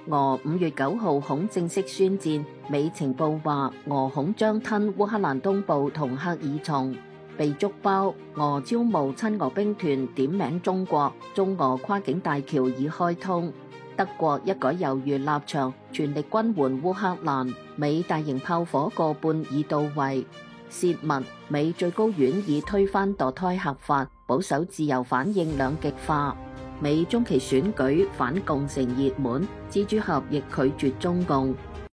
俄5月9號恐正式宣戰，美情報話俄恐將吞烏克蘭東部同赫爾松。被捉包，俄招募親俄兵團點名中國，中俄跨境大橋已開通。德國一改猶豫立場，全力軍援烏克蘭。美大型炮火過半已到位。洩密，美最高院已推翻墮胎合法，保守自由反應兩極化。美中期選舉反共成熱門，蜘蛛俠亦拒絕中共。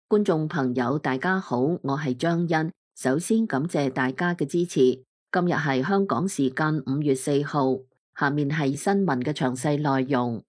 觀眾朋友大家好，我係張欣，首先感謝大家嘅支持。今日係香港時間5月4號，下面係新聞嘅詳細內容。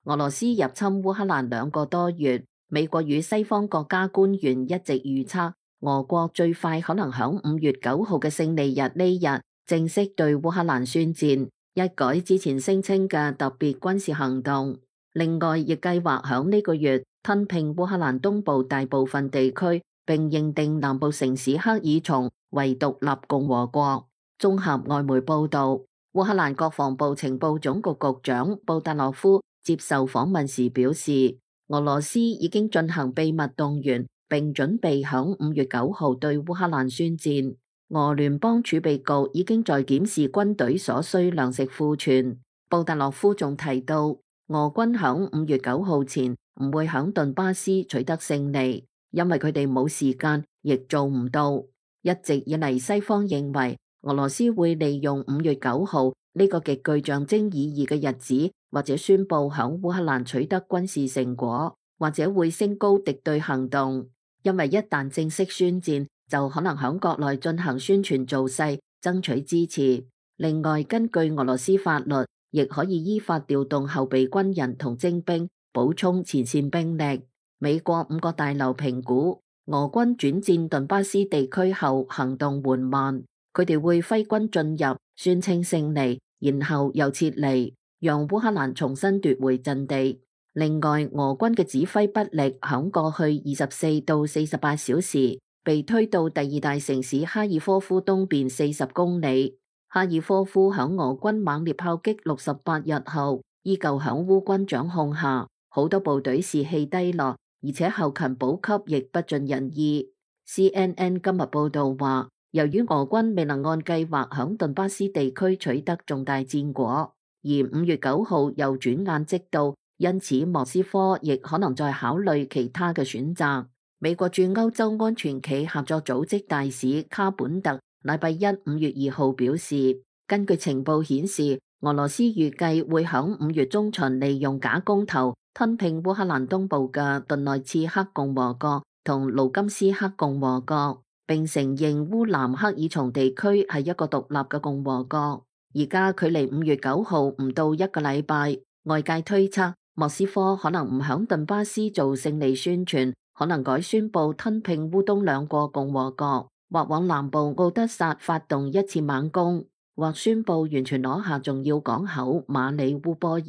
俄羅斯入侵烏克蘭2個多月，美國與西方國家官員一直預測，俄國最快可能響5月9號嘅勝利日呢日正式對烏克蘭宣戰，一改之前聲稱嘅特別軍事行動。另外，亦計劃響呢個月吞併烏克蘭東部大部分地區，並認定南部城市赫爾松為獨立共和國。綜合外媒報道，烏克蘭國防部情報總局局長布達洛夫接受訪問時表示，俄羅斯已經進行秘密動員，並準備響5月9號對烏克蘭宣戰。俄聯邦儲備局已經在檢視軍隊所需糧食庫存。布達洛夫仲提到，俄軍響5月9號前唔會響頓巴斯取得勝利，因為佢哋冇時間，亦做唔到。一直以嚟，西方認為俄羅斯會利用5月9號呢個極具象徵意義嘅日子，或者宣布響烏克蘭取得軍事成果，或者會升高敵對行動。因為一旦正式宣戰，就可能響國內進行宣傳造勢，爭取支持。另外，根據俄羅斯法律，亦可以依法調動後備軍人同徵兵，補充前線兵力。美國5個大樓評估，俄軍轉戰頓巴斯地區後行動緩慢，佢哋會揮軍進入，宣稱勝利，然後又撤離，讓烏克蘭重新奪回陣地。另外，俄軍嘅指揮不力，響過去24到48小時被推到第2大城市哈爾科夫東邊40公里。哈爾科夫響俄軍猛烈炮擊68日後，依舊響烏軍掌控下，好多部隊士氣低落，而且後勤補給亦不盡人意。CNN 今日報道話，由於俄軍未能按計劃響頓巴斯地區取得重大戰果，而5月9號又轉眼即到，因此莫斯科亦可能在考慮其他嘅選擇。美國駐歐洲安全暨合作組織大使卡本特禮拜一5月2號表示，根據情報顯示，俄羅斯預計會響5月中旬利用假公投吞併烏克蘭東部嘅頓內茨克共和國同盧甘斯克共和國，並承認烏南赫爾松地區係一個獨立嘅共和國。而家距離5月9號唔到一個禮拜，外界推測莫斯科可能唔響頓巴斯做勝利宣傳，可能改宣布吞併烏東2個共和國，或往南部奧德薩發動一次猛攻，或宣布完全攞下重要港口馬里烏波爾。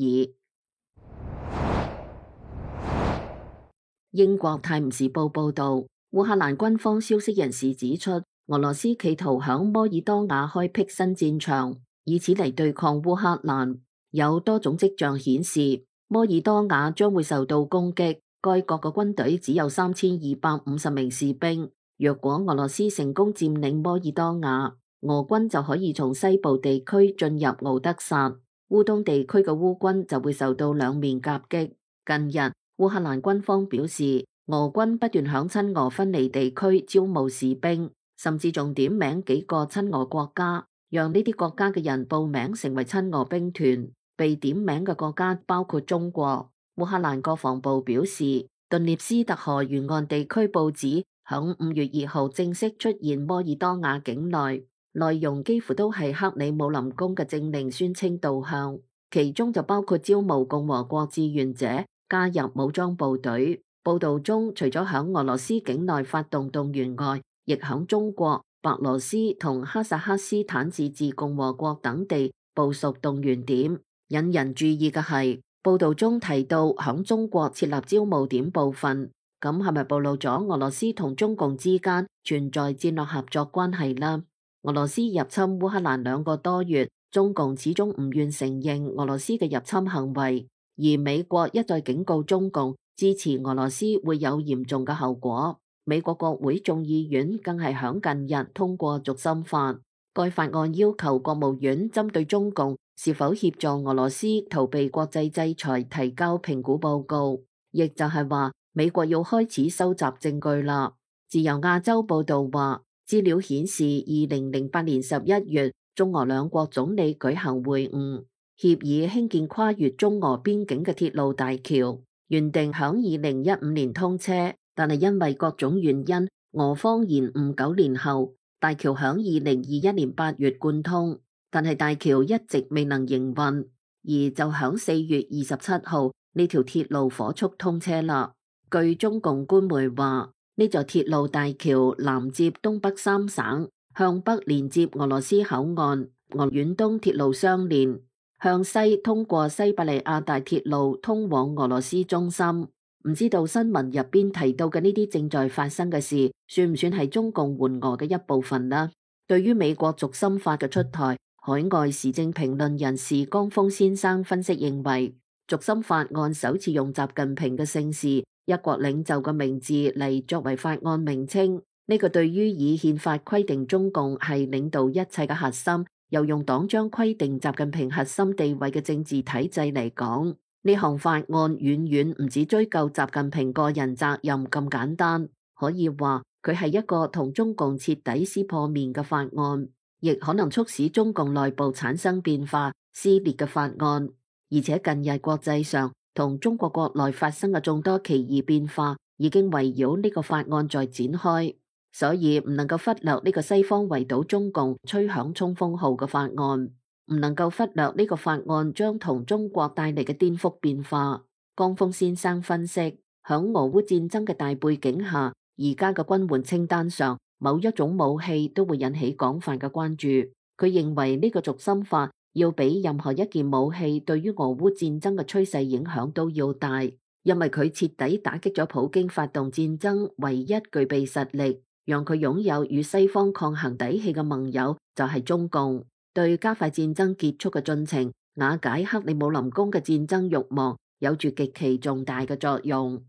英國泰晤士報報道，烏克蘭軍方消息人士指出，俄羅斯企圖響摩爾多瓦開闢新戰場，以此嚟對抗烏克蘭。有多種跡象顯示，摩爾多瓦將會受到攻擊。該國嘅軍隊只有3250名士兵。若果俄羅斯成功佔領摩爾多瓦，俄軍就可以從西部地區進入敖德薩，烏東地區嘅烏軍就會受到兩面夾擊。近日，烏克蘭軍方表示，俄軍不斷響親俄分離地區招募士兵，甚至仲點名幾個親俄國家，讓呢啲國家嘅人報名成為親俄兵團。被點名嘅國家包括中國。烏克蘭國防部表示，頓涅斯特河沿岸地區報紙響5月2號正式出現摩爾多瓦境內，內容幾乎都係克里姆林宮嘅政令宣稱導向，其中就包括招募共和國志願者加入武裝部隊。報道中，除咗響俄羅斯境內發動動員外，亦響中國、白羅斯同哈薩克斯坦自治共和國等地部署動員點。引人注意嘅係，報道中提到響中國設立招募點部分，咁係咪暴露咗俄羅斯同中共之間存在戰略合作關係呢？俄羅斯入侵烏克蘭2個多月，中共始終唔願承認俄羅斯嘅入侵行為，而美國一再警告中共支持俄羅斯會有嚴重嘅後果。美國國會眾議院更係響近日通過軸心法，該法案要求國務院針對中共是否協助俄羅斯逃避國際制裁提交評估報告，亦就係話美國要開始收集證據啦。自由亞洲報道話，資料顯示2008年11月，中俄兩國總理舉行會晤，協議興建跨越中俄邊境嘅鐵路大橋，原定響2015年通車，但係因為各種原因，俄方延誤9年後，大橋響2021年8月貫通，但係大橋一直未能營運，而就響4月27號呢條鐵路火速通車啦。據中共官媒話，呢座鐵路大橋南接東北三省，向北連接俄羅斯口岸，俄遠東鐵路相連，向西通過西伯利亞大鐵路通往俄羅斯中心。唔知道新聞入邊提到嘅呢啲正在發生嘅事，算唔算係中共援俄嘅一部分呢？對於美國軸心法嘅出台，海外時政評論人士江峰先生分析認為，軸心法案首次用習近平嘅姓氏、一國領袖嘅名字嚟作為法案名稱，呢個對於以憲法規定中共係領導一切嘅核心，又用黨章規定習近平核心地位嘅政治體制嚟講，呢項法案遠遠唔止追究習近平個人責任咁簡單，可以話佢係一個同中共徹底撕破面嘅法案，亦可能促使中共內部產生變化撕裂嘅法案。而且近日國際上同中國國內發生嘅眾多奇異變化，已經圍繞呢個法案在展開，所以唔能夠忽略呢個西方圍堵中共吹響衝鋒號嘅法案。唔能夠忽略呢個法案將同中國帶嚟嘅顛覆變化。江峰先生分析，響俄烏戰爭嘅大背景下，而家嘅軍援清單上某一種武器都會引起廣泛嘅關注。佢認為呢個軸心法要比任何一件武器對於俄烏戰爭嘅趨勢影響都要大，因為佢徹底打擊咗普京發動戰爭唯一具備實力，讓佢擁有與西方抗衡底氣嘅盟友就係中共。對加快戰爭結束嘅進程、瓦解克里姆林宮嘅戰爭慾望，有住極其重大嘅作用。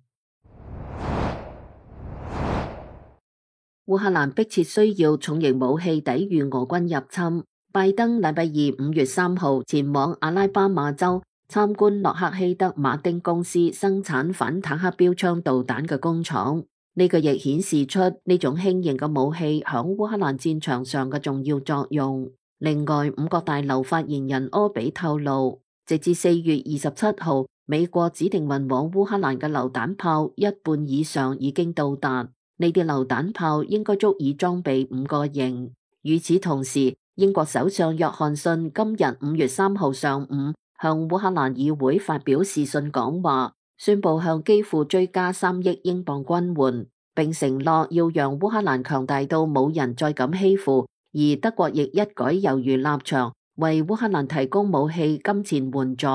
烏克蘭迫切需要重型武器抵禦俄軍入侵。拜登禮拜二5月3號前往阿拉巴馬州參觀洛克希德馬丁公司生產反坦克標槍導彈嘅工廠。呢個亦顯示出呢種輕型嘅武器響烏克蘭戰場上嘅重要作用。另外，五角大樓發言人柯比透露，直至4月27號，美國指定運往烏克蘭嘅榴彈炮一半以上已經到達。呢啲榴彈炮應該足以裝備5個營。與此同時，英國首相約翰遜今日5月3號上午向烏克蘭議會發表視訊講話，宣布向基輔追加3億英鎊軍援，並承諾要讓烏克蘭強大到冇人再敢欺負。而德國亦一改猶豫立場，為烏克蘭提供武器、金錢援助。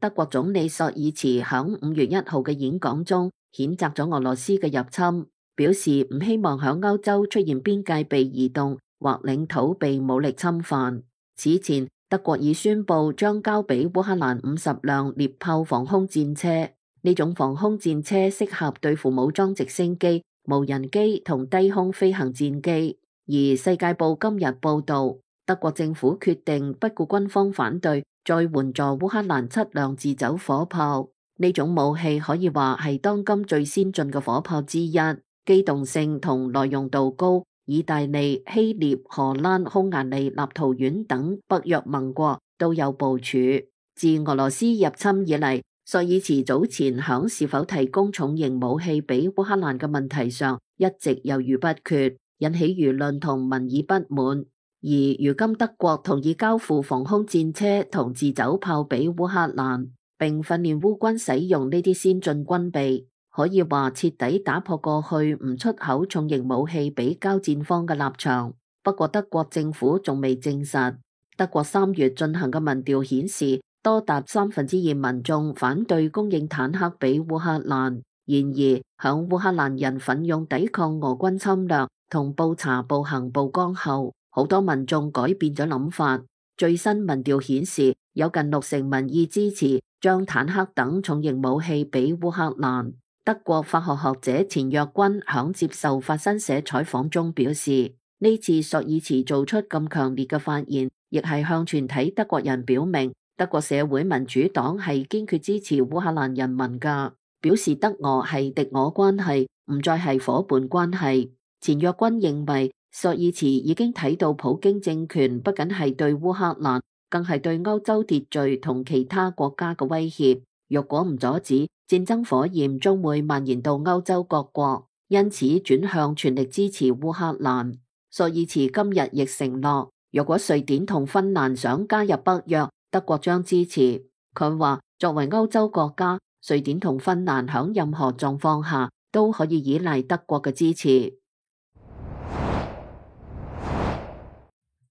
德國總理朔爾茨響5月1號嘅演講中，譴責咗俄羅斯嘅入侵，表示唔希望響歐洲出現邊界被移動或領土被武力侵犯。此前，德國已宣布將交俾烏克蘭50輛獵豹防空戰車，呢種防空戰車適合對付武裝直升機、無人機同低空飛行戰機。而《世界報》今日報道，德國政府決定不顧軍方反對，再援助烏克蘭7輛自走火炮。呢種武器可以話係當今最先進嘅火炮之一，機動性同耐用度高。意大利、希臘、荷蘭、匈牙利、立陶宛等北約盟國都有部署。自俄羅斯入侵以嚟，朔爾茨早前響是否提供重型武器俾烏克蘭嘅問題上一直猶豫不決，引起輿論同民意不滿。而如今德國同意交付防空戰車同自走炮俾烏克蘭，並訓練烏軍使用呢啲先進軍備，可以話徹底打破過去唔出口重型武器俾交戰方嘅立場。不過德國政府仲未證實。德國3月進行嘅民調顯示，多達2/3民眾反對供應坦克俾烏克蘭。然而，響烏克蘭人奮勇抵抗俄軍侵略同布查暴行曝光後，好多民眾改變咗諗法。最新民調顯示，有近60%民意支持將坦克等重型武器俾烏克蘭。德國法學學者錢若君響接受法新社採訪中表示，呢次朔爾茨做出咁強烈嘅發言，亦係向全體德國人表明，德國社會民主黨係堅決支持烏克蘭人民㗎，表示德俄係敵我關係，唔再係夥伴關係。錢若君認為，朔爾茨已經睇到普京政權不僅係對烏克蘭，更係對歐洲秩序同其他國家嘅威脅。若果唔阻止，戰爭火焰將會蔓延到歐洲各國，因此轉向全力支持烏克蘭。朔爾茨今日亦承諾，若果瑞典同芬蘭想加入北約，德國將支持。佢話，作為歐洲國家，瑞典同芬蘭響任何狀況下都可以依賴德國嘅支持。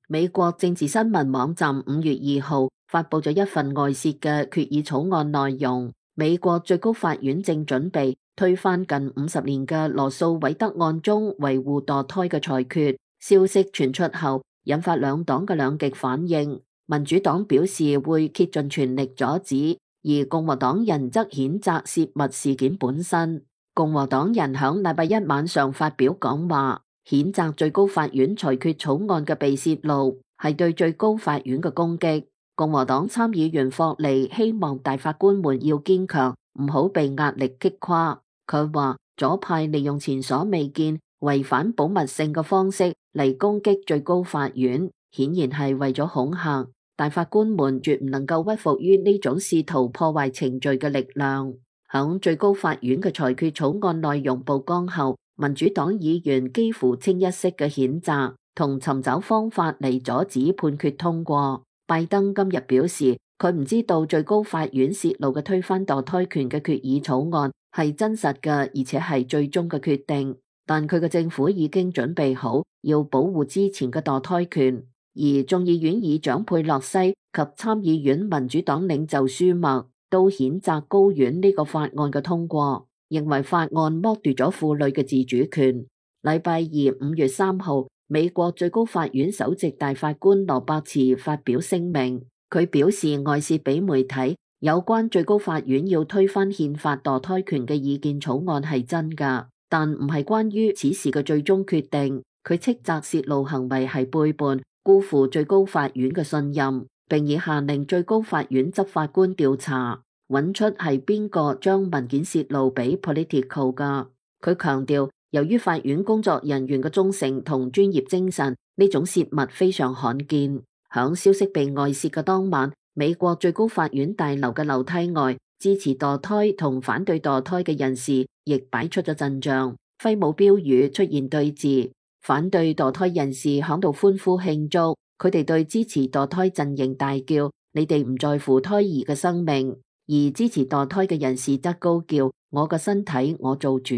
美國政治新聞網站5月2號發佈咗一份外泄嘅決議草案內容。美國最高法院正準備推翻近50年嘅羅訴韋德案中維護墮胎嘅裁決。消息傳出後，引發兩黨嘅兩極反應。民主黨表示會竭盡全力阻止，而共和黨人則譴責洩密事件本身。共和黨人響禮拜一晚上發表講話，譴責最高法院裁決草案嘅被洩露係對最高法院嘅攻擊。共和黨參議員霍利希望大法官們要堅強，唔好被壓力擊垮。佢話左派利用前所未見違反保密性嘅方式嚟攻擊最高法院，顯然係為咗恐嚇大法官們，絕唔能夠屈服於呢種試圖破壞程序嘅力量。響最高法院嘅裁決草案內容曝光後，民主黨議員幾乎清一色嘅譴責同尋找方法嚟阻止判決通過。拜登今日表示，佢唔知道最高法院洩露嘅推翻墮胎權嘅決議草案係真實嘅，而且係最終嘅決定。但佢嘅政府已經準備好要保護之前嘅墮胎權。而眾議院議長佩洛西及參議院民主黨領袖舒默都譴責高院呢個法案嘅通過，認為法案剝奪咗婦女嘅自主權。禮拜二5月3號，美國最高法院首席大法官羅伯茨發表聲明，佢表示外泄俾媒體有關最高法院要推翻憲法墮胎權嘅意見草案係真㗎，但唔係關於此事嘅最終決定。佢斥責泄露行為係背叛、辜負最高法院嘅信任，並已下令最高法院執法官調查，揾出係邊個將文件泄露俾 Politico 㗎。佢強調，由於法院工作人員嘅忠誠同專業精神，呢種泄密非常罕見。響消息被外泄嘅當晚，美國最高法院大樓嘅樓梯外，支持墮胎同反對墮胎嘅人士亦擺出咗陣仗，揮舞標語出現對峙。反對墮胎人士響度歡呼慶祝，佢哋對支持墮胎陣營大叫：你哋唔在乎胎兒嘅生命。而支持墮胎嘅人士則高叫：我嘅身體我做主。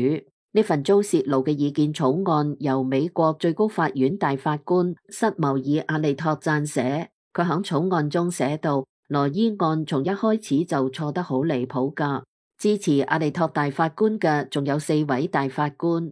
呢份遭泄露嘅意見草案由美國最高法院大法官塞繆爾阿利托撰寫，佢響草案中寫道：羅伊案從一開始就錯得好離譜㗎。支持阿利托大法官嘅仲有4位大法官。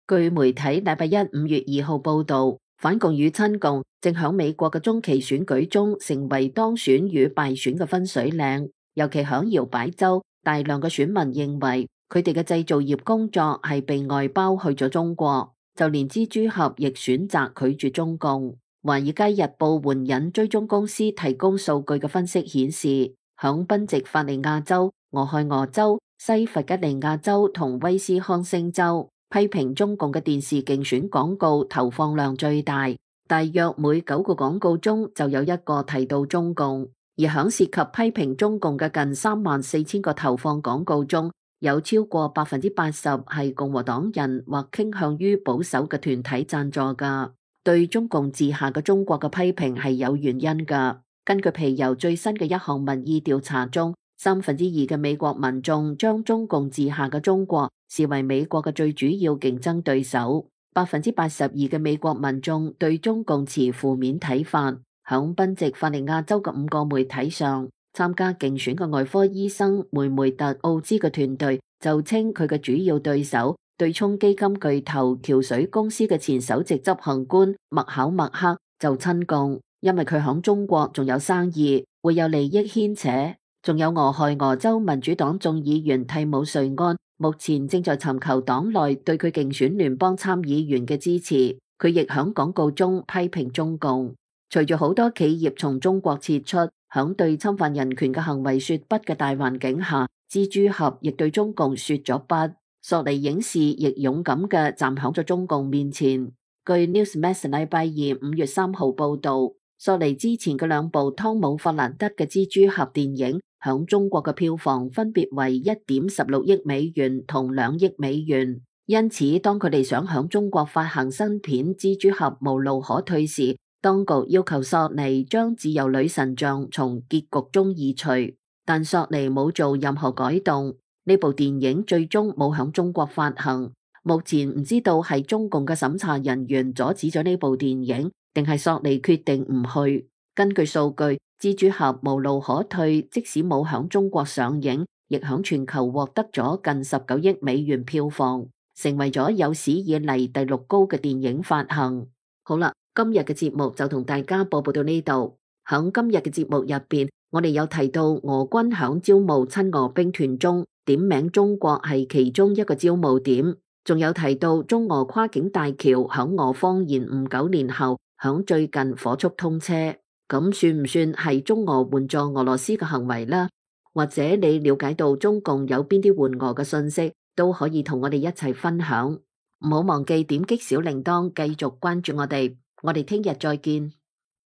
據媒體禮拜一5月2號報導，反共與親共正響美國嘅中期選舉中成為當選與敗選嘅分水嶺，尤其響搖擺州，大量嘅選民認為佢哋嘅製造業工作係被外包去咗中國，就連蜘蛛俠亦選擇拒絕中共。華爾街日報援引追蹤公司提供數據嘅分析顯示，響賓夕法尼亞州、俄亥俄州、西弗吉尼亞州同威斯康星州，批評中共嘅電視競選廣告投放量最大，大約每9個廣告中就有1個提到中共。而響涉及批評中共嘅近34000個投放廣告中，有超過80%係共和黨人或傾向於保守嘅團體贊助㗎。對中共治下嘅中國嘅批評係有原因㗎。根據皮尤最新嘅一項民意調查中，2/3嘅美國民眾將中共治下嘅中國視為美國嘅最主要競爭對手。82%嘅美國民眾對中共持負面睇法。響賓夕法尼亞州嘅5個媒體上，參加競選嘅外科醫生梅梅特奧茲嘅團隊就稱佢嘅主要對手對沖基金巨頭橋水公司嘅前首席執行官麥考默克就親共。因為佢響中國仲有生意，會有利益牽扯。仲有俄亥俄州民主黨眾議員蒂姆瑞安，目前正在尋求黨內對佢競選聯邦參議員嘅支持。佢亦響廣告中批評中共。隨住好多企業從中國撤出，響對侵犯人權嘅行為說不嘅大環境下，蜘蛛俠亦對中共說咗不。索尼影視亦勇敢嘅站響咗中共面前。據 Newsmax 禮拜二5月3號報道，索尼之前嘅兩部湯姆·法蘭德嘅蜘蛛俠電影響中國嘅票房分別為1.16億美元同2億美元。因此，當佢哋想響中國發行新片《蜘蛛俠無路可退》時，當局要求索尼將自由女神像從結局中移除，但索尼冇做任何改動。呢部電影最終冇響中國發行。目前唔知道係中共嘅審查人員阻止咗呢部電影，定係索尼決定唔去。根據數據，蜘蛛俠無路可退即使冇響中國上映，亦響全球獲得咗近19億美元票房，成為咗有史以嚟第6高嘅電影發行。好啦，今日嘅節目就同大家播報到呢度。響今日嘅節目入邊，我哋有提到俄軍響招募親俄兵團中點名中國係其中一個招募點，仲有提到中俄跨境大橋響俄方延誤9年後響最近火速通車，咁算唔算係中俄援助俄羅斯嘅行為呢？或者你了解到中共有邊啲援俄嘅信息，都可以同我哋一齊分享。唔好忘記點擊小鈴鐺，繼續關注我哋。我哋聽日再見。